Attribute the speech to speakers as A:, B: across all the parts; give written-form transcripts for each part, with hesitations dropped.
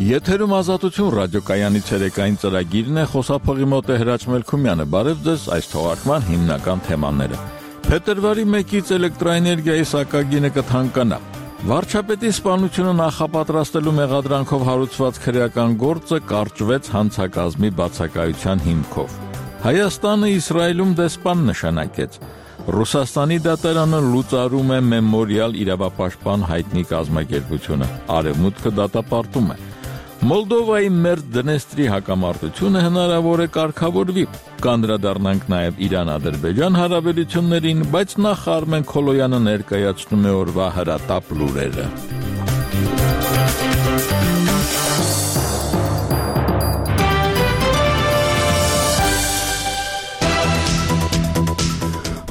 A: Եթերում ազատություն ռադիոկայանի ցերեկային ծրագիրն է, խոսափողի մոտ է Հրաչ Մելքումյանը։ Բարև ձեզ, այս թողարկման հիմնական թեմաները։ Փետրվարի 1-ից էլեկտրոէներգիայի սակագինը կթանկանա։ Վարչապետի սպանությունը նախապատրաստելու մեղադրանքով հարուցված քրեական գործը կարճվեց հանցակազմի բացակայության հիմքով։ Հայաստանը Իսրայելում դեսպան նշանակեց։ Ռուսաստանի դատարանը լուծարում է մեմորիալ իրավապաշտպան հայտնի կազմակերպությունը։ Արևմուտքը դատապարտում է։ Մոլդովայի մերձ Դնեստրի հակամարտությունը հնարավոր է կարգավորվի։ Կանդրադառնանք նաև Իրան-Ադրբեջան հարաբերություններին, բայց նախ Արմեն Քոլոյանը ներկայացնում է օրվա հրատապ լուրերը։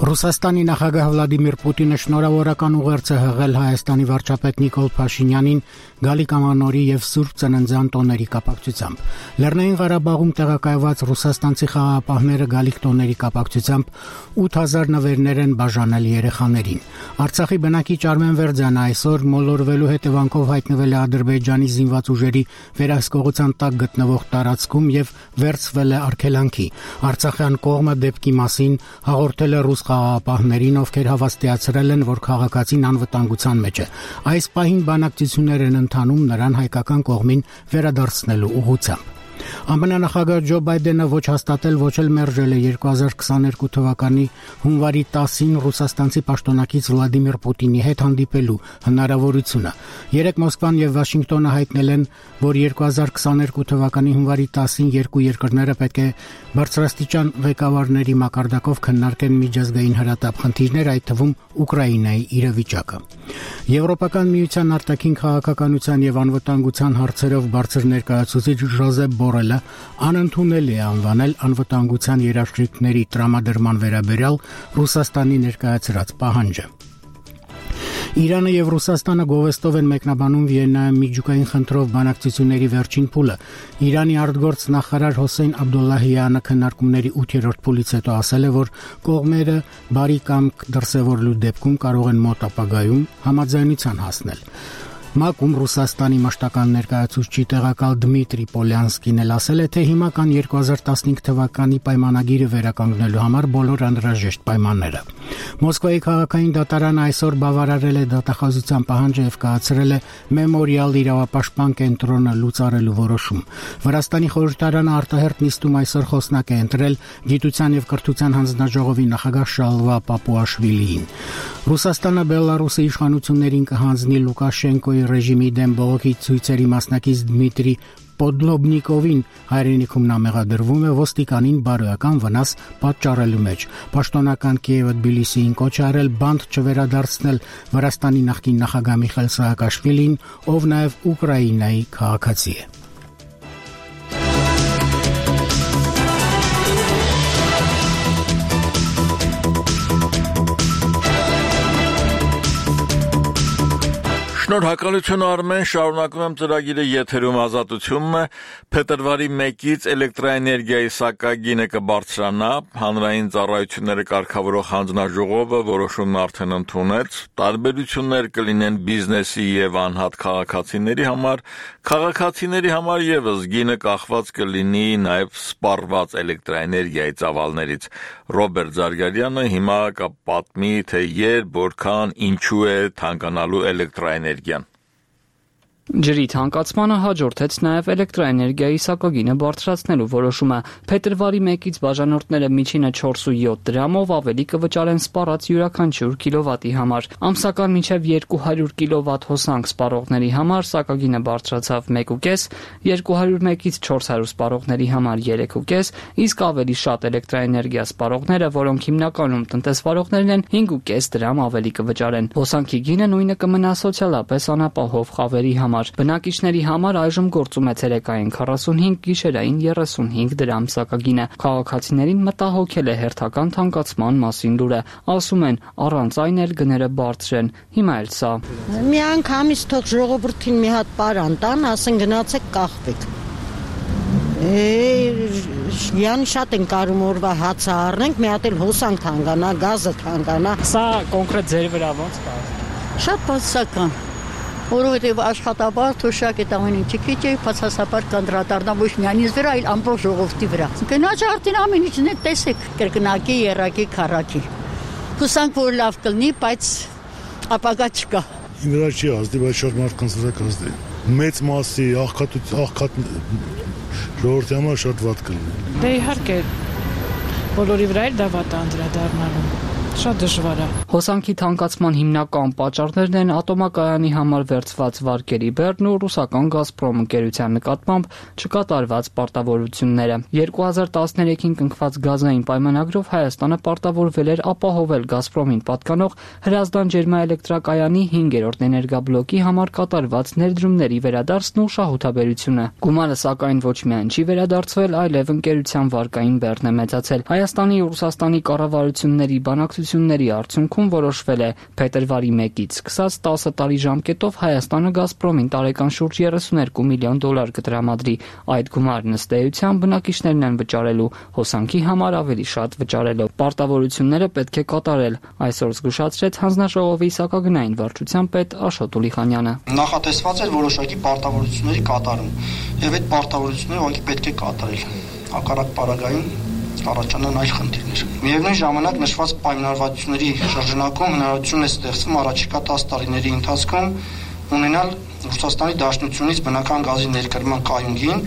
B: Ռուսաստանի նախագահ Վլադիմիր Պուտինը շնորհավորական ուղերձ է հղել Հայաստանի վարչապետ Նիկոլ Փաշինյանին Գալիկ Ամանորի եւ Սուրբ Ծննդյան տոների կապակցությամբ։ Լեռնային Ղարաբաղում տեղակայված ռուսաստանցի խաղաղապահները Գալիկ տոների կապակցությամբ 8000 նվերներ են բաժանել երեխաներին։ Արցախի բնակիչ Արմեն Վերձյանը այսօր մոլորվելու հետևանքով հայտնվել է Ադրբեջանի զինված ուժերի վերահսկողության տակ գտնվող տարածքում եւ վերցվել է արգելանքի։ Արցախյան կողմը դեպքի մասին հաղորդել է ռուս խաղաղապահներին, ովքեր հավաստիացրել են, որ քաղաքացին անվտանգության մեջ է։ Այս պահին բանակցություններ են ընթանում նրան հայկական կողմին վերադարձնելու ուղղությամբ։ ԱՄՆ նախագահ Ջո Բայդենը ոչ հաստատել, ոչ էլ մերժել է 2022 թվականի հունվարի 10-ին ռուսաստանցի պաշտոնակից Վլադիմիր Պուտինի հետ հանդիպելու հնարավորությունը։ Երեկ Մոսկվան եւ Վաշինգտոնը հայտնել են, որ 2022 թվականի հունվարի 10-ին երկու երկրները պետք է բարձրաստիճան ղեկավարների մակարդակով քննարկեն միջազգային հրատապ խնդիրներ, այդ թվում Ուկրաինայի իրավիճակը։ Եվրոպական միության արտաքին քաղաքականության եւ անվտանգության հարցերով բարձր ներկայացուցիչ Ժոզեփ Բորելը անընդունել է անվանել անվտանգության երաշխիքների տրամադրման վերաբերյալ Ռուսաստանի ներկայացրած պահանջը։ Իրանը եւ Ռուսաստանը գովեստով են մեկնաբանում Վիեննայում միջուկային խնդրով բանակցությունների վերջին փուլը։ Իրանի արտգործ նախարար Հոսեյն Աբդուլլահյանը քննարկումների 8-րդ փուլից հետո ասել է, որ կողմերը բարի կամք դրսևորելու դեպքում կարող են մոտ ապագայում համաձայնության հասնել։ ՄԱԿ-ում Ռուսաստանի մշտական ներկայացուցիչ տեղակալ Դմիտրի Պոլյանսկին էլ ասել է, թե հիմա կան 2015 թվականի պայմանագիրը վերականգնելու համար բոլոր անհրաժեշտ պայմանները։ Մոսկվայի քաղաքային դատարանը այսօր բավարարել է դատախազության պահանջը եւ կայացրել է մեմորիալ իրավապաշտպան կենտրոնը լուծարելու որոշում։ Վրաստանի խորհրդարանը արտահերթ նիստում այսօր խոսնակ է ընտրել Գիտության եւ կրթության հանձնաժողովի նախագահ Շալվա Պապուաշվիլիին։ Ռուսաստանը Բելարուսի իշխանություններին կհանձնի Լուկաշենկոյի ռեժիմի դեմ բողոքի ցույցերի մասնակից Դմիտրի Պոդլոբնիկովին հայրենիքում նա մեղադրվում է ոստիկանին բարոյական վնաս պատճառելու մեջ։ Պաշտոնական Կիևը Թբիլիսիին կոչ արել բանտ չվերադարձնել Վրաստանի նախկին նախագահ Միխայել Սահակաշվիլին, ով նաև Ուկրաինայի քաղաքացի է։
A: Շնորհակալություն Արմեն, շարունակում եմ ծրագիրը եթերում ազատությունն է։ Փետրվարի 1-ից էլեկտրոէներգիայի սակագինը կբարձրանա, հանրային ծառայությունները կարգավորող հանձնաժողովը որոշումն արդեն ընդունեց, տարբերություններ կլինեն բիզնեսի եւ անհատ քաղաքացիների համար, քաղաքացիների համար եւս գինը կախված կլինի նաեւ սպառված էլեկտրոէներգիայի ծավալներից։ Ռոբերտ Զարգարյանը հիմա կպատմի, թե երբ, որքան, ինչու է թանկանալու էլեկտրոէներգիան։
C: Ջրի թանկացմանը հաջորդեց նաև էլեկտրոէներգիայի սակագինը բարձրացնելու որոշումը։ Փետրվարի 1-ից բաժանորդները միջինը 4.7 դրամով ավելի կվճարեն սպառած յուրաքանչյուր կիլովատի համար։ Ամսական մինչև 200 կիլովատ հոսանք սպառողների համար սակագինը բարձրացավ 1.5, 201-ից 400 սպառողների համար 3.5, իսկ ավելի շատ էլեկտրոէներգիա սպառողները, որոնք հիմնականում տնտեսվարողներն են, 5.5 դրամ ավելի կվճարեն։ Հոսանքի գինը նույնը կմնա սոցիալապես անապահով խավերի համար։ Բնակիչների համար այժմ գործում է ցերեկային 45, գիշերային 35 դրամ սակագինը։ Քաղաքացիներին մտահոգել է հերթական թանկացման մասին լուրը։ Ասում են, առանց այն էլ գները բարձր են։ Հիմա էլ սա։
D: Մի անգամից թող ժողովրդին մի հատ պարան տան, ասեն գնացեք կախվեք։ Յանի շատ են կարում օրվա հացը առնենք, մի հատ էլ հոսանք թանկանա, գազը թանկանա։
C: Սա կոնկրետ ձեր վրա ո՞նց կա։
E: Շատ բացական։ որովհետև աշխատաբար թոշակ այդ ամեն ինչը քիչ է, բացասաբար կանդրադառնամ ոչ միայն ինձ վրա, այլ ամբողջ ժողովրդի վրա։ Գնաց արդեն ամեն ինչն է տեսեք, կրկնակի, երակի, քառակի։ Հուսանք որ լավ կլինի, բայց ապագա չկա։
F: Իմ վրա չի ազդի, բայց շատ մարդկանց վրա կազդի։ Մեծ մասի աղքատ ժողովրդի համար շատ վատ կլինի։
G: Դե իհարկե բոլորի վրա էլ դա վատ է անդրադառնալու։ Շատ դժվար է։
C: Հոսանքի թանկացման հիմնական պատճառներն են ատոմակայանի համար վերցված վարկերի բեռն ու ռուսական «Գազպրոմ» ընկերության նկատմամբ չկատարված պարտավորությունները։ 2013-ին կնքված գազային պայմանագրով Հայաստանը պարտավորվել էր ապահովել «Գազպրոմին» պատկանող Հրազդան ջերմաէլեկտրակայանի 5-րդ էներգաբլոկի համար կատարված ներդրումների վերադարձն ու շահութաբերությունը։ Գումարը սակայն ոչ միայն չի վերադարձվել, այլև ընկերության վարկային բեռն է մեծացել։ Հայաստանի ու Ռուսաստանի կառավարությունների բանակցությունների արդյունքում որոշվել է փետրվարի 1-ից սկսած 10 տարի ժամկետով Հայաստանը «Գազպրոմին» տարեկան շուրջ $32 միլիոն կտրամադրի։ Այդ գումարն ըստ էության բնակիչներն են վճարելու, հոսանքի համար ավելի շատ վճարելով։ Պարտավորությունները պետք է կատարել, այսօր զգուշացրեց հանձնաժողովի սակագնային վարչության պետ Աշոտ Ուլիխանյանը։
H: Նախատեսված էր որոշակի պարտավորությունների կատարում, եւ այդ պարտավորությունները ուղղակի պետք է կատարել։ Հակառակ պարագայում առաջանան այլ խնդիրներ։ Միևնույն ժամանակ նշված պայմանավորվածությունների շրջանակում հնարավորություն է ստեղծվում առաջիկա 10 տարիների ընթացքում ունենալ Ռուսաստանի Դաշնությունից բնական գազի ներկրման կայունին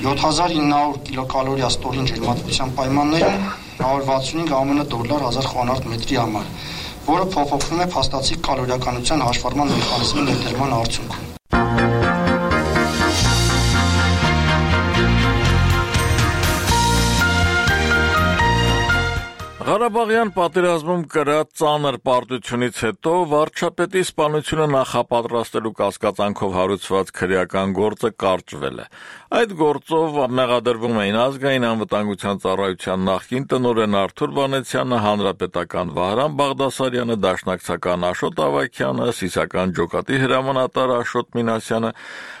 H: 7900 կիլոկալորիա ստորին ջերմատվության պայմաններում $165 1000 խորանարդ մետրի համար, որը փոփոխվում է փաստացի կալորիականության հաշվառման մեխանիզմի ներդրման արդյունքում։
A: Ղարաբաղյան պատերազմում կրած ծանր պարտությունից հետո վարչապետի սպանությունը նախապատրաստելու կասկածանքով հարուցված քրեական գործը կարճվել է։ Այդ գործով մեղադրվում էին ազգային անվտանգության ծառայության նախկին տնօրեն Արթուր Վանեցյանը, հանրապետական Վահրամ Բաղդասարյանը, դաշնակցական Աշոտ Ավագյանը, սիսական ջոկատի հրամանատար Աշոտ Մինասյանը,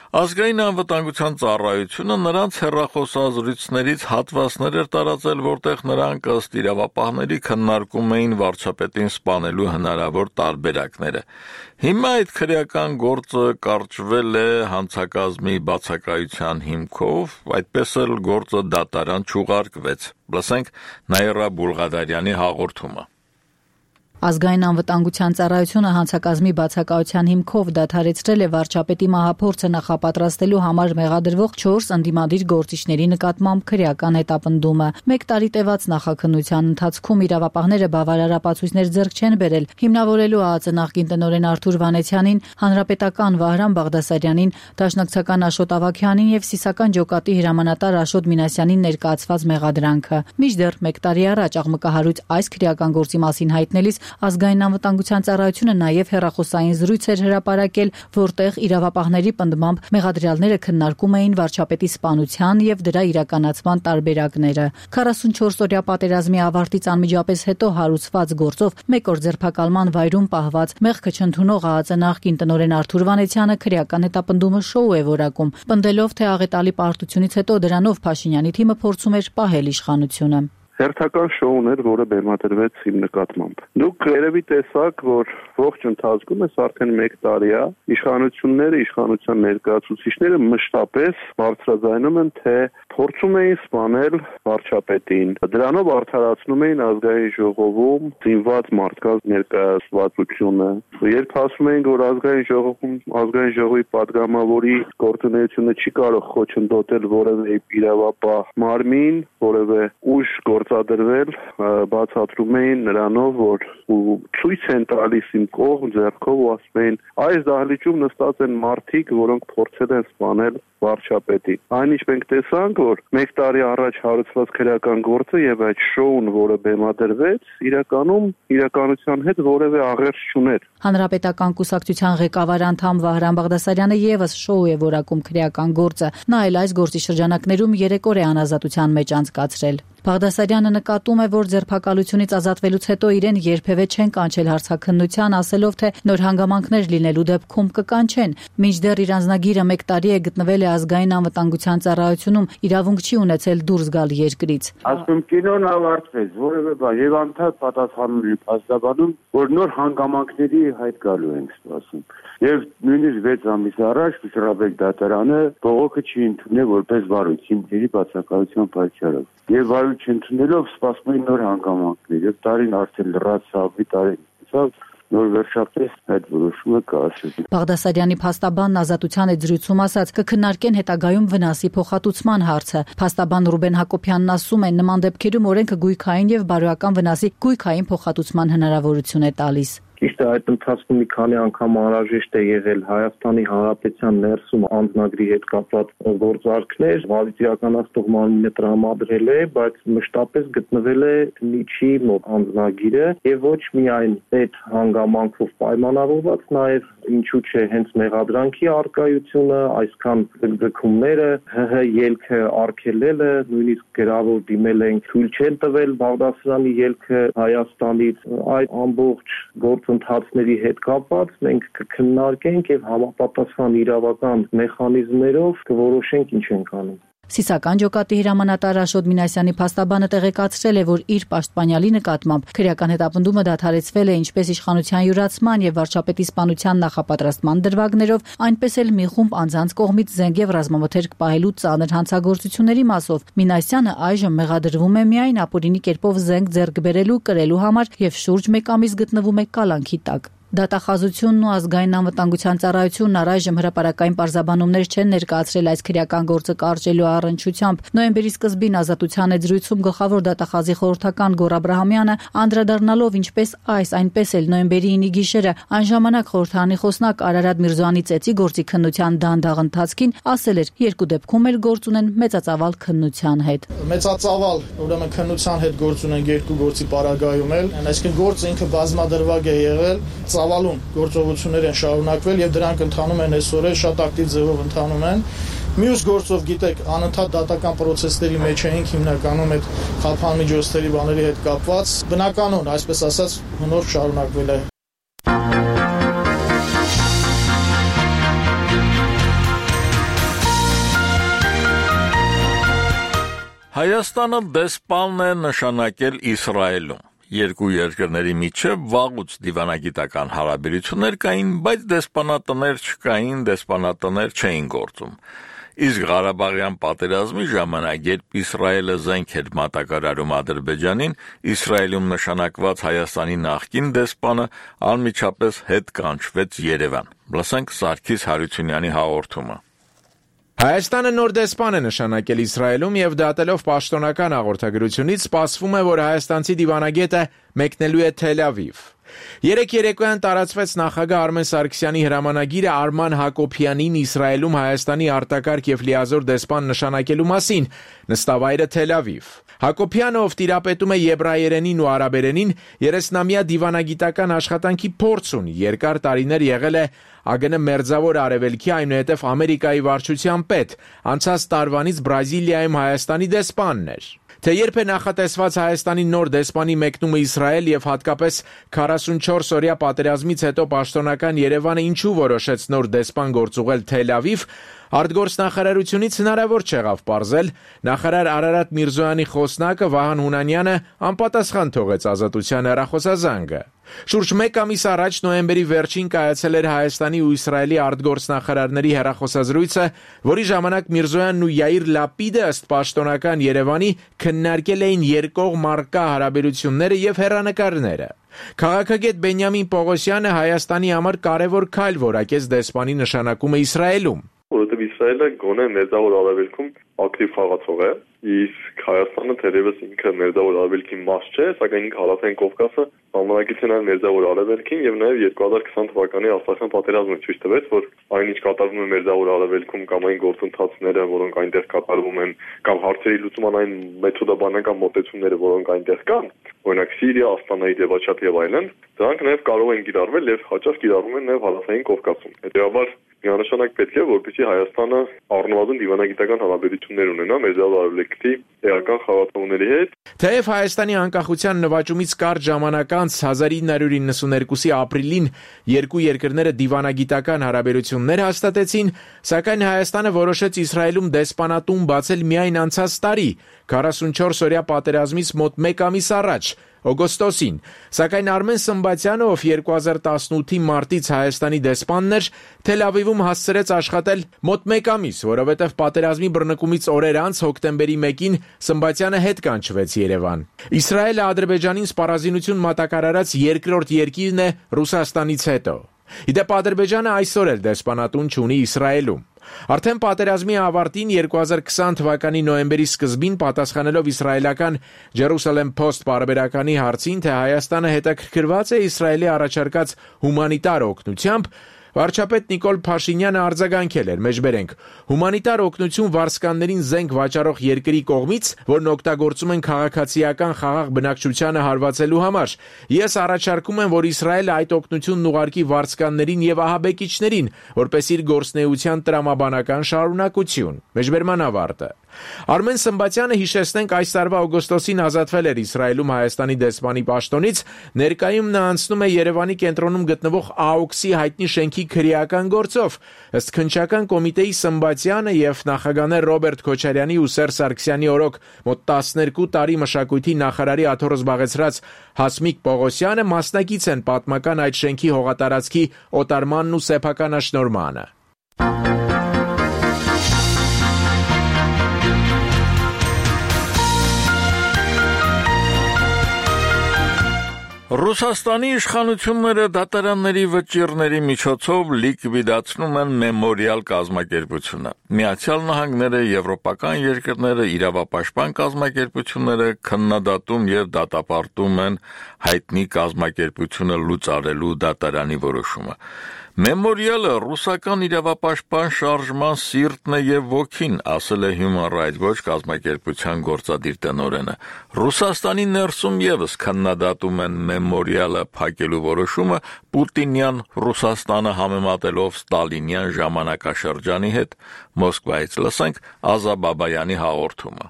A: Ազգային անվտանգության ծառայությունը նրանց հեռախոսազրույցներից հատվածներ էր տարածել, որտեղ նրանք ըստ իրավապահների քննարկում էին վարչապետին սպանելու հնարավոր տարբերակները։ Հիմա այդ քրեական գործը կարճվել է հանցակազմի բացակայության հիմքով, այդպես էլ գործը դատարան չուղարկվեց։ Լսենք Նաիրա Բուլղադարյանի հաղորդումը։
I: Ազգային անվտանգության ծառայությունը հանցակազմի բացակայության հիմքով դադարեցրել է վարչապետի մահափորձը նախապատրաստելու համար մեղադրվող 4 ընդդիմադիր գործիչների նկատմամբ քրեական հետապնդումը։ 1 տարի տևած նախաքննության ընթացքում իրավապահները բավարար ապացույցներ ձեռք չեն բերել, հիմնավորելու ԱԱԾ նախկին տնօրեն Արթուր Վանեցյանին, հանրապետական Վահրամ Բաղդասարյանին, դաշնակցական Աշոտ Ավագյանին եւ սիսական ջոկատի հրամանատար Աշոտ Մինասյանին ներկայացված մեղադրանքը։ Մինչդեռ 1 տարի առաջ աղմկահարույց այս քրեական գործի մասին հայտնելիս Ազգային անվտանգության ծառայությունը նաև հեռախոսային զրույց էր հրապարակել, որտեղ իրավապահների պնդմամբ մեղադրյալները քննարկում էին վարչապետի սպանության եւ դրա իրականացման տարբերակները։ 44-օրյա պատերազմի ավարտից անմիջապես հետո հարուցված գործով 1 օր ձերբակալման վայրում պահված մեղքը չընդունող ԱԱԾ նախկին տնօրեն Արթուր Վանեցյանը քրեական հետապնդումը շոու է որակում, պնդելով, թե աղետալի պարտությունից հետո դրանով Փաշինյանի թիմը փորձում էր պահել իշխանությունը։
J: Հերթական շոուն էր, որը բեմադրվեց իմ նկատմամբ։ Դուք երևի տեսաք, որ ողջ ընթացքում էս արդեն 1 տարի է, իշխանությունները, իշխանության ներկայացուցիչները մշտապես բարձրաձայնում են, թե փորձում էին սպանել վարչապետին։ Դրանով արդարացնում էին ազգային ժողովում զինված մարդկանց ներկայացվածությունը։ Երբ ասում էին, որ ազգային ժողովի падգամավորի գործունեությունը չի կարող խոչընդոտել որևէ իրավապահ մարմին, որևէ ուժ գործադրվել, բացատրում էին նրանով, որ ցույց են տալիս իմ կողմ ձեռքով ու ասում էին, այս դահլիճում նստած են մարդիկ, որոնք փորձել են սպանել վարչապետին։ Այնինչ մենք տեսանք, որ 1 տարի առաջ հարուցված քրեական գործը եւ այդ շոուն, որը բեմադրվեց, իրականության հետ որևէ աղերս չուներ։
I: Հանրապետական կուսակցության ղեկավար անդամ Վահրամ Բաղդասարյանը եւս շոու է որակում քրեական գործը։ Նա էլ այս գործի շրջանակներում 3 օր է անազատության մեջ անցկացրել։ Բաղդասարյանը նկատում է, որ ձերբակալությունից ազատվելուց հետո իրեն երբևէ չեն կանչել հարցաքննության, ասելով, թե նոր հանգամանքներ լինելու դեպքում կկանչեն։ Մինչդեռ իր անձնագիրը 1 տարի է գտնվել է ազգային անվտանգության ծառայությունում, իր իրավունք չի ունեցել դուրս գալ երկրից։
K: Ասում կինոն ավարտվեց, որևէ բան եւ անդադ պատասխանում է փաստաբանում, որ նոր հանգամանքների հայտ գալու ենք սպասում։ Եվ նույնիսկ 6 ամիս առաջ Միսրաբեկ դատարանը բողոքը չի ընդունել որպես վարույթ հիմքերի բացակայության պատճառով։ Եվ վարույթ չընդունելով սպասում են նոր հանգամանքներ եւ տարին արդեն լրացավ, տարին նոր վերջապես այդ որոշումը կասեցի։
I: Բաղդասարյանի փաստաբանն Ազատության այդ զրույցում ասաց կքննարկեն հետագայում վնասի փոխհատուցման հարցը։ Փաստաբան Ռուբեն Հակոբյանն ասում է նման դեպքերում օրենքը գույքային եւ բարոյական վնասի գույքային փոխհատուցման հնարավորություն է տալիս։
L: Ճիշտ է, այդ ընթացքում մի քանի անգամ անհրաժեշտ է եղել Հայաստանի Հանրապետության ներսում անձնագրի հետ կապված գործարքներ, վարույթ իրականացնող մարմինը տրամադրել է, բայց մշտապես գտնվել է միջի մոտ անձնագիրը եւ ոչ միայն այդ հանգամանքով պայմանավորված, նաեւ ինչու՞ չէ հենց մեղադրանքի արկայությունը, այսքան ձգձգումները, ՀՀ ելքը արգելելը, նույնիսկ գրավոր դիմել են թույլ չեն տվել Բաղդասարյանի ելքը Հայաստանից, այդ ամբողջ գործընթացների հետ կապված մենք կքննարկենք եւ համապատասխան իրավական մեխանիզմներով կորոշենք ինչ ենք անում։
I: Սիսական ջոկատի հրամանատար Աշոտ Մինասյանի փաստաբանը տեղեկացրել է, որ իր պաշտպանյալի նկատմամբ քրեական հետապնդումը դադարեցվել է ինչպես իշխանության յուրացման եւ վարչապետի սպանության նախապատրաստման դրվագներով, այնպես էլ մի խումբ անձանց կողմից զենք եւ ռազմամթերք պահելու ծանր հանցագործությունների մասով։ Մինասյանը այժմ մեղադրվում է միայն ապօրինի կերպով զենք ձեռք բերելու, կրելու համար եւ շուրջ 1 ամիս գտնվում է կալանքի տակ։ Դատախազությունն ու ազգային անվտանգության ծառայությունն առայժմ հրապարակային պարզաբանումներ չեն ներկայացրել այս քրեական գործը կարճելու առնչությամբ։ Նոյեմբերի սկզբին Ազատության այդ զրույցում գլխավոր դատախազի խորհրդական Գոռ Աբրահամյանը անդրադառնալով ինչպես այս, այնպես էլ նոյեմբերի 9-ի գիշերը այն ժամանակ խորհրդանի խոսնակ Արարատ Միրզոյանի ծեծի գործի քննության դանդաղ ընթացքին ասել էր երկու դեպքում էլ գործ ունեն մեծածավալ քննության հետ։
M: Մեծածավալ, ուրեմն քննության հետ գործ ունեն երկու գործի պարագայում էլ, այսինքն գործը ինքը բազմադրվակ է եղել, ծավալուն գործողություններ են շարունակվել եւ դրանք ընթանում են այսօր շատ ակտիվ ձևով ընթանում են։ Մյուս գործով գիտեք, անընդհատ դատական process-ների մեջ էինք հիմնականում այդ խափանմիջոցների բաների հետ կապված։ Բնականon, այսպես ասած, հնոր շարունակվել է։
A: Հայաստանը դեսպան է նշանակել Իսրայելում։ Երկու երկրների միջև վաղուց դիվանագիտական հարաբերություններ կային, բայց դեսպանատներ չկային, դեսպանատներ չէին գործում։ Իսկ Ղարաբաղյան պատերազմի ժամանակ, երբ Իսրայելը զենք էր մատակարարում Ադրբեջանին, Իսրայելում նշանակված Հայաստանի նախկին դեսպանը անմիջապես հետ կանչվեց Երևան։ Լսենք Սարգիս Հարությունյանի հաղորդումը։
N: Հայաստանը նոր դեսպան է նշանակել Իսրայելում եւ դատելով պաշտոնական հաղորդագրությունից սպասվում է, որ հայաստանցի դիվանագետը մեկնելու է Թել Ավիվ։ Երեկ երեկոյան տարածվեց նախագահ Արմեն Սարգսյանի հրամանագիրը Արման Հակոբյանին Իսրայելում Հայաստանի արտակարգ եւ լիազոր դեսպան նշանակելու մասին, նստավայրը Թել Ավիվ։ Հակոբյանը, ով տիրապետում է եբրայերենին ու արաբերենին, 30-ամյա դիվանագիտական աշխատանքի փորձ ունի, երկար տարիներ եղել է ԱԳՆ Մերձավոր Արևելքի, այնուհետև Ամերիկայի վարչության պետ, անցած տարվանից Բրազիլիայում Հայաստանի դեսպանն էր։ Թե երբ է նախատեսված Հայաստանի նոր դեսպանի մեկնումը Իսրայել եւ հատկապես 44 օրյա պատերազմից հետո պաշտոնական Երևանը ինչու որոշեց նոր դեսպան գործուղել Թել Ավիվ, արտգործնախարարությունից հնարավոր չեղավ պարզել, նախարար Արարատ Միրզոյանի խոսնակը Վահան Հունանյանը անպատասխան թողեց Ազատության հեռախոսազանգը։ Շուրջ 1 ամիս առաջ նոյեմբերի վերջին կայացել էր Հայաստանի ու Իսրայելի արտգործնախարարների հեռախոսազրույցը, որի ժամանակ Միրզոյանն ու Յայիր Լապիդը ըստ պաշտոնական Երևանի քննարկել էին երկկողմ առկա հարաբերությունները եւ հեռանկարները։ Քաղաքագետ Բենյամին Պողոսյանը Հայաստանի համար կարևոր քայլ որակեց դեսպանի նշանակումը Իսրայելում։
O: Որովհետև Իսրայելը գոնե Մերձավոր Արևելքում ակտիվ խաղացող է, իսկ Հայաստանը թերևս ինքը Մերձավոր Արևելքի մաս չէ, սակայն ինքը Հարավային Կովկասը համանագիտեն այլ Մերձավոր Արևելքին եւ նաեւ 2020 թվականի Արցախյան պատերազմը ցույց տվեց, որ այնինչ կատարվում է Մերձավոր Արևելքում կամ այն գործընթացները, որոնք այնտեղ կատարվում են, կամ հարցերի լուծման այն մեթոդաբանական մոտեցումները, որոնք այնտեղ կան, օրինակ Սիրիա, Աստանայի դեպաչափ եւ այլն, դրանք նաեւ կարող են կիրառվել եւ հաճախ կիրառվում են նաեւ Հարավային Կովկասում։ Հետեւաբար միանշանակ պետք է, որպեսզի Հայաստանը առնվազն դիվանագիտական հարաբերություններ ունենա Մերձավոր Արևելքի երկրի էական խաղացողների հետ։
N: Թեև Հայաստանի անկախության նվաճումից կարճ ժամանակ անց 1992-ի ապրիլին երկու երկրները դիվանագիտական հարաբերություններ հաստատեցին, սակայն Հայաստանը որոշեց Իսրայելում դեսպանատուն բացել միայն անցած տարի, 44-օրյա պատերազմից մոտ 1 ամիս առաջ, օգոստոսին, սակայն Արմեն Սմբատյանը, ով 2018-ի մարտից Հայաստանի դեսպանն էր, Թել Ավիվում հասցրեց աշխատել մոտ 1 ամիս, որովհետև պատերազմի բռնկումից օրեր անց հոկտեմբերի 1-ին Սմբատյանը հետ կանչվեց Երևան։ Իսրայելը Ադրբեջանին սպառազինություն մատակարարած երկրորդ երկիրն է Ռուսաստանից հետո։ Իդեպ Ադրբեջանը այսօր էլ դեսպանատուն չունի Իսրայելում։ Արդեն պատերազմի ավարտին 2020 թվականի նոյեմբերի սկզբին պատասխանելով իսրայելական Jerusalem Post պարբերականի հարցին, թե Հայաստանը հետաքրքրված է Իսրայելի առաջարկած հումանիտար օգնությամբ, վարչապետ Նիկոլ Փաշինյանը արձագանքել էր. մեջբերենք, հումանիտար օգնություն վարձկաններին զենք վաճառող երկրի կողմից, որն օգտագործում են քաղաքացիական խաղաղ բնակչությանը հարվածելու համար, ես առաջարկում եմ, որ Իսրայելը այդ օգնությունն ուղարկի վարձկաններին եւ ահաբեկիչներին, որպես իր գործնեության տրամաբանական շարունակություն։ Մեջբերման ավարտը։ Արմեն Սմբատյանը, հիշեցնենք, այս տարվա օգոստոսին ազատվել էր Իսրայելում Հայաստանի դեսպանի պաշտոնից, ներկայում նա անցնում է Երևանի կենտրոնում գտնվող ԱՕՔՍ-ի հայտնի շենքի քրեական գործով։ Ըստ քննչական կոմիտեի Սմբատյանը եւ նախագահներ Ռոբերտ Քոչարյանի ու Սերժ Սարգսյանի օրոք մոտ 12 տարի մշակույթի նախարարի աթոռը զբաղեցրած Հասմիկ Պողոսյանը մասնակից են պատմական այդ շենքի հողատարածքի օտարմանն ու սեփականաշնորհմանը։
A: Ռուսաստանի իշխանությունները դատարանների վճիռների միջոցով լիկվիդացնում են մեմորիալ կազմակերպությունը։ Միացյալ Նահանգները, եվրոպական երկրները, իրավապաշտպան կազմակերպությունները քննադատում եւ դատապարտում են հայտնի կազմակերպությունը լուծարելու դատարանի որոշումը։ Մեմորիալը ռուսական իրավապաշտպան շարժման սիրտն է եւ ոգին, ասել է Human Rights Watch կազմակերպության գործադիր տնօրենը։ Ռուսաստանի ներսում եւս քննադատում են մեմորիալը փակելու որոշումը Պուտինյան Ռուսաստանը համեմատելով Ստալինյան ժամանակաշրջանի հետ։ Մոսկվայից լսենք Ազա Բաբայանի հաղորդումը։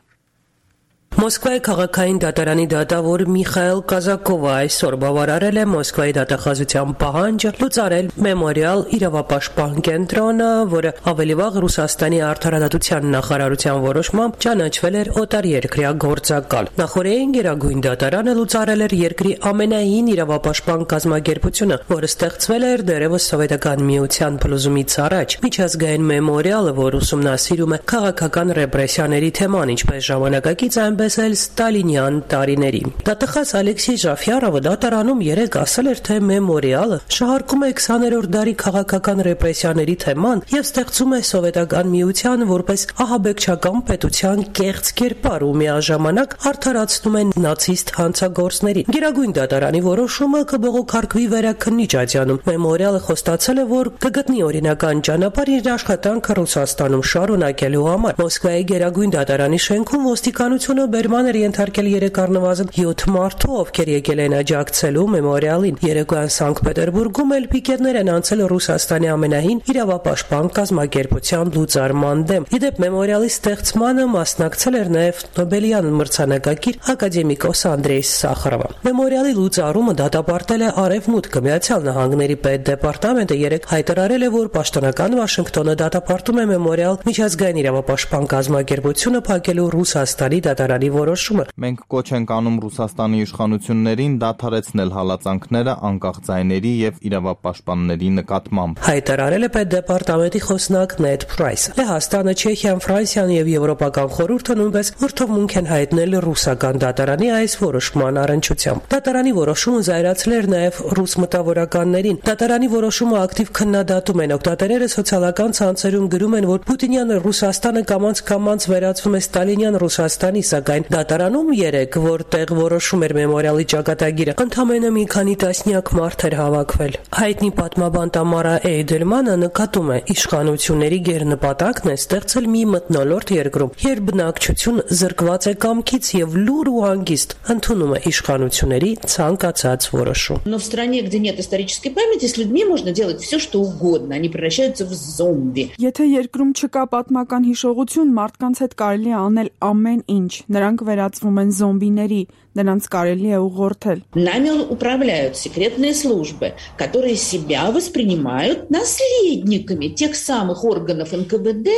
P: Մոսկվայի քաղաքային դատարանի դատավոր Միխայել Կազակովը այսօր բավարարել է Մոսկվայի դատախազության պահանջը լուծարել մեմորիալ իրավապաշտպան կենտրոնը, որը ավելի վաղ Ռուսաստանի արդարադատության նախարարության որոշմամբ ճանաչվել էր օտարերկրյա գործակալ։ Նախորդին Գերագույն դատարանը լուծարել էր երկրի ամենահին իրավապաշտպան կազմակերպությունը, որը ստեղծվել էր դեռևս Սովետական միության փլուզումից առաջ։ Միջազգային մեմորիալը, որ ուսումնասիրում է քաղաքական ռեպրեսիաների թեման, ինչպես ժամանակակից այնպես էլ Ստալինյան տարիների։ Դատախազ Ալեքսեյ Ժաֆյարովը դատարանում երեկ ասել էր, թե մեմորիալը շահարկում է 20-րդ դարի քաղաքական ռեպրեսիաների թեման եւ ստեղծում է Սովետական միության որպես ահաբեկչական պետության կեղծ կերպար ու միաժամանակ արդարացնում են նացիստ հանցագործներին։ Գերագույն դատարանի որոշումը կբողոքարկվի վերաքննիչ ատյանում։ Մեմորիալը խոստացել է, որ կգտնի օրինական ճանապարհ իր աշխատանքը Ռուսաստանում շարունակելու համար։ Մոսկվայի Գերագույն դատարանի շենքում ոստիկանությունը բերման էր ենթարկել երեք առնվազն 7 մարդու, ովքեր եկել են աջակցելու մեմորիալին։ Երեկոյան Սանկտ Պետերբուրգում էլ պիկետներ են անցել Ռուսաստանի ամենահին իրավապաշտպան կազմակերպության լուծարման դեմ։ Իդեպ մեմորիալի ստեղծմանը մասնակցել էր նաև Նոբելյան մրցանակակիր ակադեմիկոս Անդրեյ Սախարովը։ Մեմորիալի լուծարումը դատապարտել է Արևմուտքը։ Միացյալ Նահանգների պետդեպարտամենտը երեկ հայտարարել է, որ պաշտոնական Վաշինգտոնը դատապարտում է մեմորիալ միջազգային իրավապաշտպան կազմակերպությունը փակելու Ռուսաստանի դատարանի որոշումը։
Q: Մենք կոչ ենք անում Ռուսաստանի իշխանություններին դադարեցնել հալածանքները անկախ ձայների եւ իրավապաշտպանների նկատմամբ։
P: Հայտարարել է պետդեպարտամենտի խոսնակ Նեդ Պրայսը։ Լեհաստանը, Չեխիան, Ֆրանսիան եւ Եվրոպական խորհուրդը նույնպես ուրթովմունք են հայտնել ռուսական դատարանի այս որոշման առնչությամբ։ Դատարանի որոշումը զայրացել էր նաեւ ռուս մտավորականներին։ Դատարանի որոշումը ակտիվ քննադատում են։ Օգտատերերը սոցիալական ցանցերում գրում են, որ Պուտինյան Ռուսաստանը կամաց վերածվում է Ստալինյան Ռուսաստանի, սակայն սակայն դատարանում 3, որտեղ որոշում էր մեմորիալի ճակատագիրը, ընդամենը մի քանի տասնյակ մարդ էր հավաքվել։ Հայտնի պատմաբան Տամարա Էյդելմանը նկատում է, իշխանությունների գերնպատակն է ստեղծել մի մթնոլորտ երկրում, երբ բնակչություն զրկված է կամքից եւ լուր ու հանգիստ ընդունում է իշխանությունների ցանկացած որոշում։
R: Но в стране, где нет исторической памяти, с людьми можно делать все, что угодно, они превращаются в зомби.
S: Եթե երկրում չկա պատմական հիշողություն, մարդկանց հետ կարելի է անել ամեն ինչ։ Նրանք վերածվում են զոմբիների, նրանց կարելի է ուղղորդել։
R: Нами управляют секретные службы, которые себя воспринимают наследниками тех самых органов НКВД.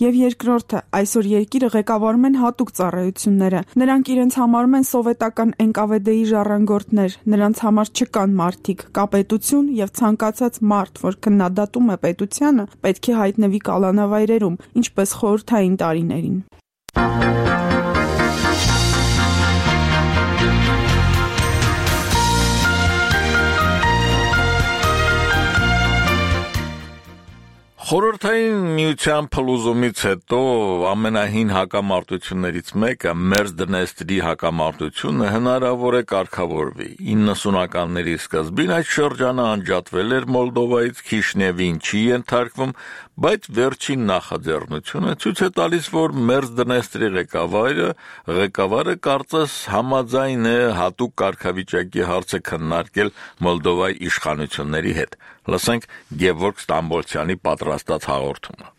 S: Եվ երկրորդը, այսօր երկիրը ղեկավարում են հատուկ ծառայությունները։ Նրանք իրենց համարում են սովետական ՆԿՎԴ-ի ժառանգորդներ, նրանց համար չկան մարդիկ, կա պետություն եւ ցանկացած մարդ, որ քննադատում է պետությանը, պետք է հայտնվի կալանավայրերում, ինչպես խորհրդային տարիներին։
A: Խորհրդային միության փլուզումից հետո ամենահին հակամարտություններից մեկը Մերձդնեստրի հակամարտությունը հնարավոր է կարգավորվի։ 90-ականների սկզբին այդ շրջանը անջատվել էր Մոլդովայից, Քիշնևին չի ենթարկվում, բայց վերջին նախաձեռնությունը ցույց է տալիս, որ Մերձդնեստրի ղեկավարը կարծես համաձայն է հատուկ կարգավիճակի հարցը քննարկել Մոլդովայի իշխանությունների հետ։ Լսենք Գևորգ Ստամբոլցյանի պատրաստած հաղորդումը։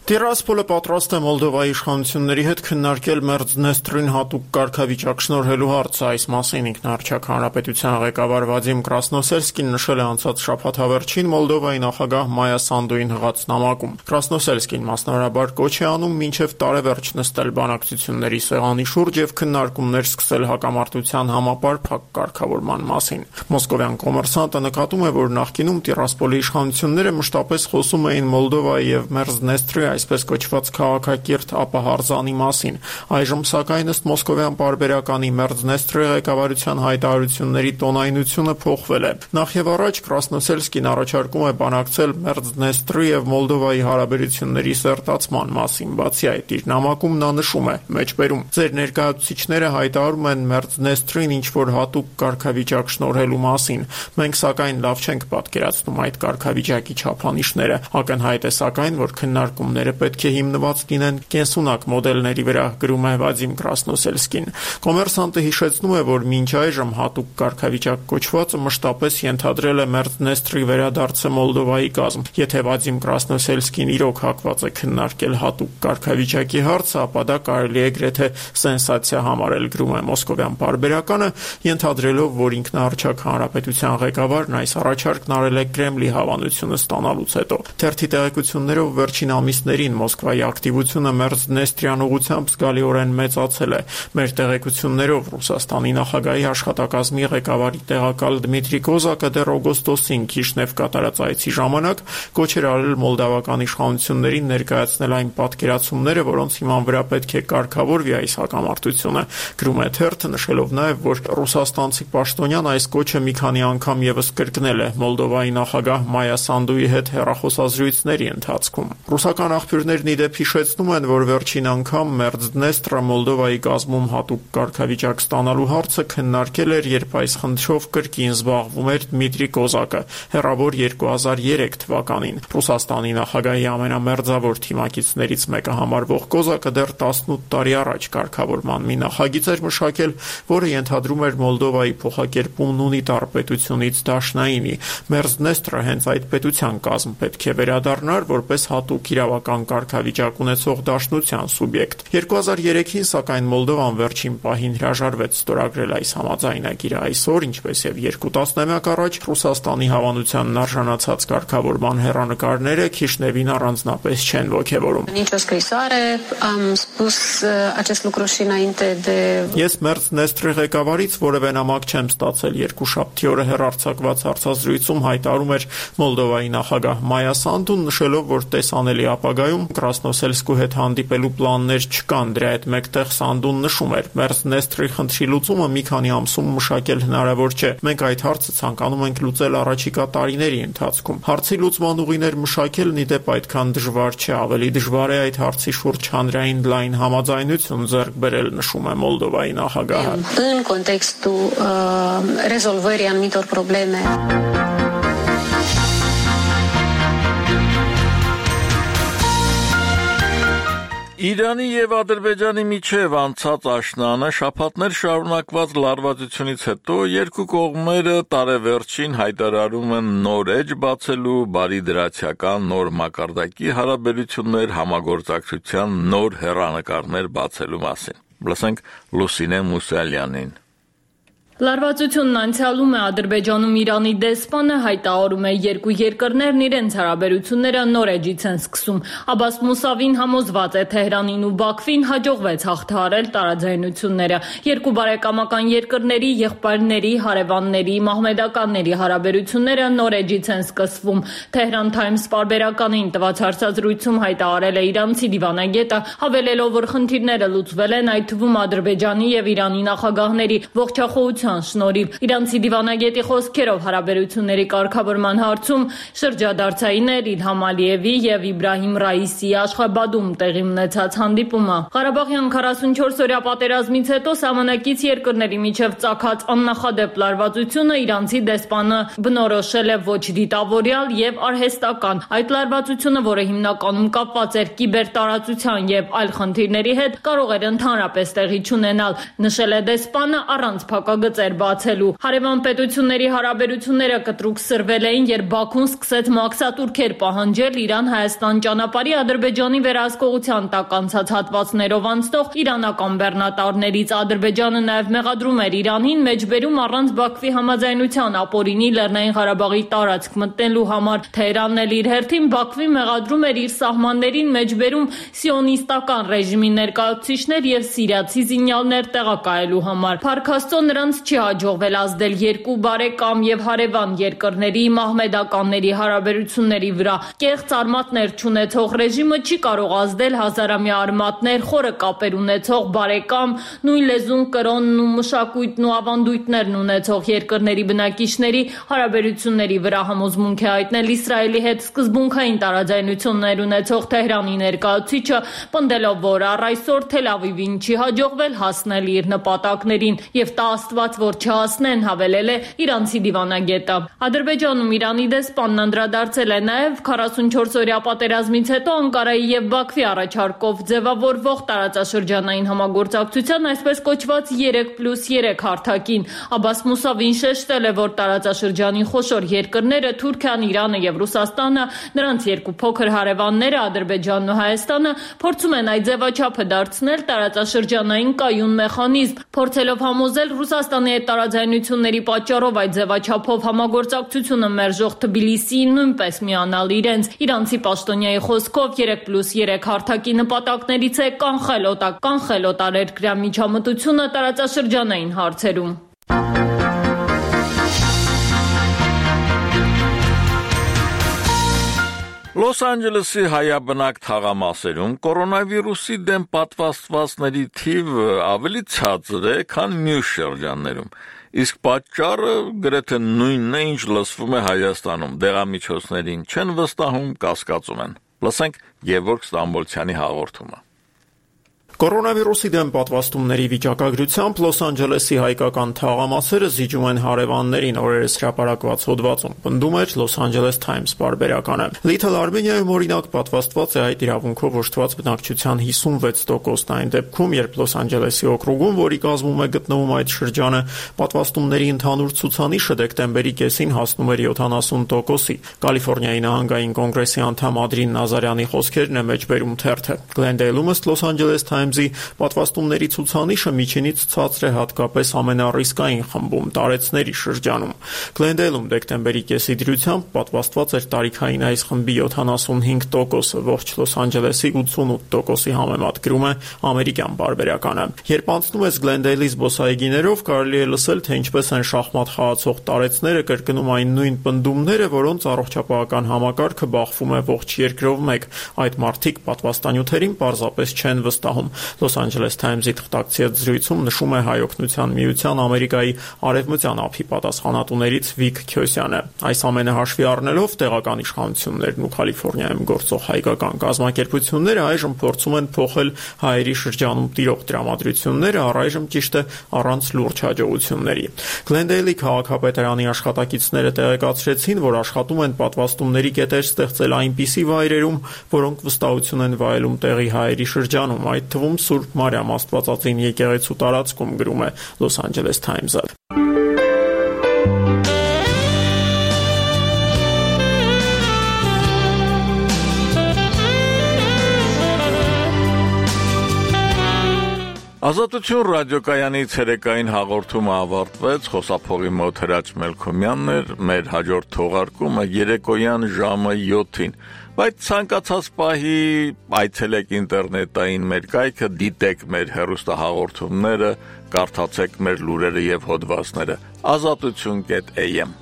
T: Տիրասպոլը պատրաստ է Մոլդովայի իշխանությունների հետ քննարկել Մերձդնեստրին հատուկ կարգավիճակ շնորհելու հարցը։ Այս մասին ինքնարչակ հանրապետության ղեկավար Վադիմ Կրասնոսելսկին նշել է անցած շաբաթ հավերչին Մոլդովայի նախագահ Մայա Սանդուին հղած նամակում։ Կրասնոսելսկին մասնավորաբար կոչ է անում մինչև տարեվերջ նստել բանակցությունների սեղանի շուրջ եւ քննարկումներ սկսել հակամարտության համապարփակ կարգավորման մասին։ Մոսկովյան կոմերսանտը նկատում է, որ նախկինում Տիրասպոլի իշխանությունները մշտապես խոսում էին Մոլդովայի եւ Մերձդնեստրի այսպես կոչված քաղաքակիրթ ապահարզանի մասին։ Այժմ սակայն ըստ մոսկովյան պարբերականի Մերձդնեստրի ղեկավարության հայտարարությունների տոնայնությունը փոխվել է։ Նախ եւ առաջ Կրասնոսելսկին առաջարկում է բանակցել Մերձդնեստրի եւ Մոլդովայի հարաբերությունների սերտացման մասին։ Բացի այդ, իր նամակում նա նշում է. մեջբերում ձեր ներկայացուցիչները հայտարարում են Մերձդնեստրին ինչ-որ հատուկ կարգավիճակ շնորհելու մասին։ Մենք սակայն լավ չենք պատկերացնում այդ կարգավիճակի չափանիշները։ Ակնհայտ է սակայն, որ քննարկումները պետք է հիմնված լինեն կենսունակ մոդելների վրա, գրում է Վադիմ Կրասնոսելսկին։ Կոմերսանտը հիշեցնում է, որ մինչ այժմ հատուկ կարգավիճակ կոչվածը մշտապես ենթադրել է Մերձդնեստրի վերադարձը Մոլդովայի կազմ։ Եթե Վադիմ Կրասնոսելսկին իրոք հակված է քննարկել հատուկ կարգավիճակի հարցը, ապա դա կարելի է գրեթե սենսացիա համարել, գրում է մոսկովյան պարբերականը, ենթադրելով, որ ինքնարչակ հանրապետության ղեկավարն այս առաջարկն արել է Կրեմլի հավանությունը ստանալուց հետո։ Թերթի տեղեկություններով վերջին ամիսներին Մոսկվայի ակտիվությունը Մերձդնեստրյան ուղղությամբ զգալիորեն մեծացել է։ Մեր տեղեկություններով Ռուսաստանի նախագահի աշխատակազմի ղեկավարի տեղակալ Դմիտրի Կոզակը դեռ օգոստոսին Քիշնև կատարած այցի ժամանակ կոչ էր արել մոլդավական իշխանություններին ներկայացնել այն պատկերացումները, որոնց հիման վրա պետք է կարգավորվի այս հակամարտությունը։ Գրում է թերթը, նշելով նաև, որ ռուսաստանցի պաշտոնյան այս կոչը մի քանի անգամ եւս կրկնել է Մոլդովայի նախագահ Մայա Սանդուի հետ հեռախոսազրույցների ընթացքում։ Ռուսական աղբյուրներն ի դեպ հիշեցնում են, որ վերջին անգամ Մերձդնեստրը Մոլդովայի կազմում հատուկ կարգավիճակ ստանալու հարցը քննարկել էր, երբ այս խնդրով կրկին զբաղվում էր Դմիտրի Կոզակը հեռավոր 2003 թվականին։ Ռուսաստանի նախագահի ամենամերձավոր թիմակիցներից մեկը համարվող Կոզակը դեռ 18 տարի առաջ կարգավորման մի նախագիծ էր մշակել, որը ենթադրում էր Մոլդովայի փոխակերպումն ունիտար պետությունից դաշնայինի։ Մերձդնեստրը հենց այդ պետության կազմ պետք է վերադառնար որպես հատուկ իրավական կարգավիճակ ունեցող դաշնության սուբյեկտ։ 2003-ին սակայն Մոլդովան վերջին պահին հրաժարվեց ստորագրել այս համաձայնագիրը։ Այսօր, ինչպես եւ 2 տասնամյակ առաջ, Ռուսաստանի հավանությանն արժանացած կարգավորման հեռանկարները Քիշնևին առանձնապես չեն ոգևորում։ Ես Մերձդնեստրի ղեկավարից որևէ նամակ չեմ ստացել։ Երկուշաբթի օրը հեռարձակված հարցազրույցում հայտարարում էր Մոլդովայի նախագահ Մայա Սանդուն, նշելով, որ տեսանելի ապագա պարագայում Կրասնոսելսկու հետ հանդիպելու պլաններ չկան։ Դրա հետ մեկտեղ Սանդուն նշում էր. Մերձնեստրի խնդրի լուծումը մի քանի ամսում մշակել հնարավոր չէ։ Մենք այդ հարցը ցանկանում ենք լուծել առաջիկա տարիների ընթացքում։ Հարցի լուծման ուղիներ մշակելն ի դեպ այդքան դժվար չէ, ավելի դժվար է այդ հարցի շուրջ հանրային լայն համաձայնություն ձեռք բերել, նշում է Մոլդովայի նախագահը։
U: În contextul rezolvării anumitor probleme.
A: Իրանի եւ Ադրբեջանի միջև անցած աշնանը շաբաթներ շարունակված լարվածությունից հետո երկու կողմերը տարեվերջին հայտարարում են նոր էջ բացելու, բարիդրացիական նոր մակարդակի հարաբերություններ, համագործակցության նոր հեռանկարներ բացելու մասին։ Լսենք Լուսինե Մուսալյանին։
V: Լարվածությունն անցյալում է Ադրբեջանում Իրանի դեսպանը հայտարարում է երկու երկրներն իրենց հարաբերությունները նոր էջից են սկսում։ Աբբաս Մուսավին համոզված է Թեհրանին ու Բաքվին հաջողվեց հաղթահարել տարաձայնությունները։ Երկու բարեկամական երկրների եղբայրների, հարևանների, մահմեդականների հարաբերությունները նոր էջից են սկսվում։ Tehran Times պարբերականին տված հարցազրույցում հայտարարել է իրանցի դիվանագետը, հավելելով, որ խնդիրները լուծվել են, այդ թվում Ադրբեջանի եւ Իրանի նախագահների ողջախոհության շնորհիվ։ Իրանցի դիվանագետի խոսքերով հարաբերությունների կարգավորման հարցում շրջադարձային էր Իլհամ Ալիևի եւ Իբրահիմ Ռայիսիի Աշխաբադում տեղի ունեցած հանդիպումը։ Ղարաբաղյան 44-օրյա պատերազմից հետո սահմանակից երկրների միջև ծագած աննախադեպ լարվածությունը իրանցի դեսպանը բնորոշել է ոչ դիտավորյալ եւ արհեստական։ Այդ լարվածությունը, որը հիմնականում կապված էր կիբերտարածության եւ այլ խնդիրների հետ, կարող էր ընդհանրապես տեղի չունենալ, նշել է դեսպանը առանց փակագծեր բացելու։ Հարևան պետությունների հարաբերությունները կտրուկ սրվել էին, երբ Բաքուն սկսեց մաքսատուրքեր պահանջել Իրան-Հայաստան ճանապարհի Ադրբեջանի վերահսկողության տակ անցած հատվածներով անցնող իրանական բեռնատարներից։ Ադրբեջանը նաև մեղադրում էր Իրանին մեջբերում առանց Բաքվի համաձայնության ապօրինի Լեռնային Ղարաբաղի տարածք մտնելու համար։ Թեհրանն էլ իր հերթին Բաքվի մեղադրում էր իր սահմաններին մեջբերում սիոնիստական ռեժիմի ներկայացուցիչներ եւ սիրիացի զինյալներ տեղակայելու համար։ Փառք Աստծո, նրանց չի հաջողվել ազդել երկու բարեկամ եւ հարևան երկրների մահմեդականների հարաբերությունների վրա։ Կեղծ արմատներ չունեցող ռեժիմը չի կարող ազդել հազարամյա արմատներ, խորը կապեր ունեցող բարեկամ, նույն լեզուն, կրոնն ու մշակույթն ու ավանդույթներն ունեցող երկրների բնակիչների հարաբերությունների վրա, համոզմունք է հայտնել Իսրայելի հետ սկզբունքային տարաձայնություններ ունեցող Թեհրանի ներկայացուցիչը, պնդելով, որ առ այսօր Թել Ավիվին չի հաջողվել հասնել իր նպատակներին եւ տա Աստված, որ չհասնեն, հավելել է իրանցի դիվանագետը։ Ադրբեջանում Իրանի դեսպանն անդրադարձել է նաև 44-օրյա պատերազմից հետո Անկարայի եւ Բաքվի առաջարկով ձևավորվող տարածաշրջանային համագործակցության այսպես կոչված 3+3 հարթակին։ Աբբաս Մուսավին շեշտել է, որ տարածաշրջանի խոշոր երկրները Թուրքիան, Իրանը եւ Ռուսաստանը, նրանց երկու փոքր հարևանները Ադրբեջանն ու Հայաստանը փորձում են այդ ձևաչափը դարձնել տարածաշրջանային կայուն մեխանիզմ, փորձելով համոզել Ռուսաստանի հետ տարաձայնությունների պատճառով այդ ձևաչափով համագործակցությունը մերժող Թբիլիսիին նույնպես միանալ իրենց։ Իրանցի պաշտոնյայի խոսքով 3+3 հարթակի նպատակներից է կանխել օտարերկրյա միջամտությունը տարածաշրջանային հարցերում։
A: Լոս Անջելեսի հայաբնակ թաղամասերում կորոնավիրուսի դեմ պատվաստվածների թիվը ավելի ցածր է, քան մյուս շրջաններում։ Իսկ պատճառը գրեթե նույնն է, ինչ լսվում է Հայաստանում։ Դեղամիջոցներին չեն վստահում, կասկածում են։ Լսենք Գևորգ Ստամբոլցյանի հաղորդումը։
T: Կորոնավիրուսի դեմ պատվաստումների վիճակագրությամբ Լոս Անջելեսի հայկական թաղամասերը զիջում են հարևաններին, օրերս հրապարակված հոդվածում պնդում էր Լոս Անջելես Times պարբերականը։ Լիթլ Արմենիայում օրինակ պատվաստված է այդ իրավունքով օժտված բնակչության 56%-ն, այն դեպքում, երբ Լոս Անջելեսի օկրուգում, որի կազմում է գտնվում այդ շրջանը, պատվաստումների ընդհանուր ցուցանիշը դեկտեմբերի կեսին հասնում էր 70%-ի։ Կալիֆոռնիայի նահանգային կոնգրեսի անդամ Ադրին Նազարյանի խոսքերն է մեջբերում թերթը։ Գլենդեյլում ըստ Լոս Անջելես Times Times-ի պատվաստումների ցուցանիշը միջինից ցածր է հատկապես ամենառիսկային խմբում տարեցների շրջանում։ Գլենդեյլում դեկտեմբերի կեսի դրությամբ պատվաստված էր տարիքային այս խմբի 75%-ը, ողջ Լոս Անջելեսի 88%-ի համեմատ, գրում է ամերիկյան պարբերականը։ Երբ անցնում ես Գլենդեյլի զբոսայգիներով, կարելի է լսել, թե ինչպես են շախմատ խաղացող տարեցները կրկնում այն նույն պնդումները, որոնց առողջապահական համակարգը բախվում է ողջ երկրով մեկ։ Այդ մարդիկ պատվաստանյութերին պարզապես չեն վստահում։ Լոս Անջելես Times-ի թղթակցի հետ զրույցում նշում է Հայօգնության միության Ամերիկայի արևմտյան ափի պատասխանատուներից Վիկ Քյոսյանը։ Այս ամենը հաշվի առնելով տեղական իշխանություններն ու Կալիֆոռնիայում գործող հայկական կազմակերպությունները այժմ փորձում են փոխել հայերի շրջանում տիրող տրամադրությունները, առայժմ ճիշտ է առանց լուրջ հաջողությունների։ Գլենդեյլի քաղաքապետարանի աշխատակիցները տեղեկացրեցին, որ աշխատում են պատվաստումների կետեր ստեղծել այնպիսի վայրերում, որոնք վստահություն են վայելում տեղի հայերի շրջանում, այդ թվում Սուրբ Մարիամ Աստվածածին եկեղեցու տարածքում, գրում է Լոս Անջելես Times-ը։
A: Ազատություն ռադիոկայանի ցերեկային հաղորդումը ավարտվեց, խոսափողի մոտ Հրաչ Մելքոմյանն էր, մեր հաջորդ թողարկումը երեկոյան ժամը 7-ին, բայց ցանկացած պահի այցելեք ինտերնետային մեր կայքը, դիտեք մեր հեռուստահաղորդումները, կարդացեք մեր լուրերը եւ հոդվածները, azatutun.am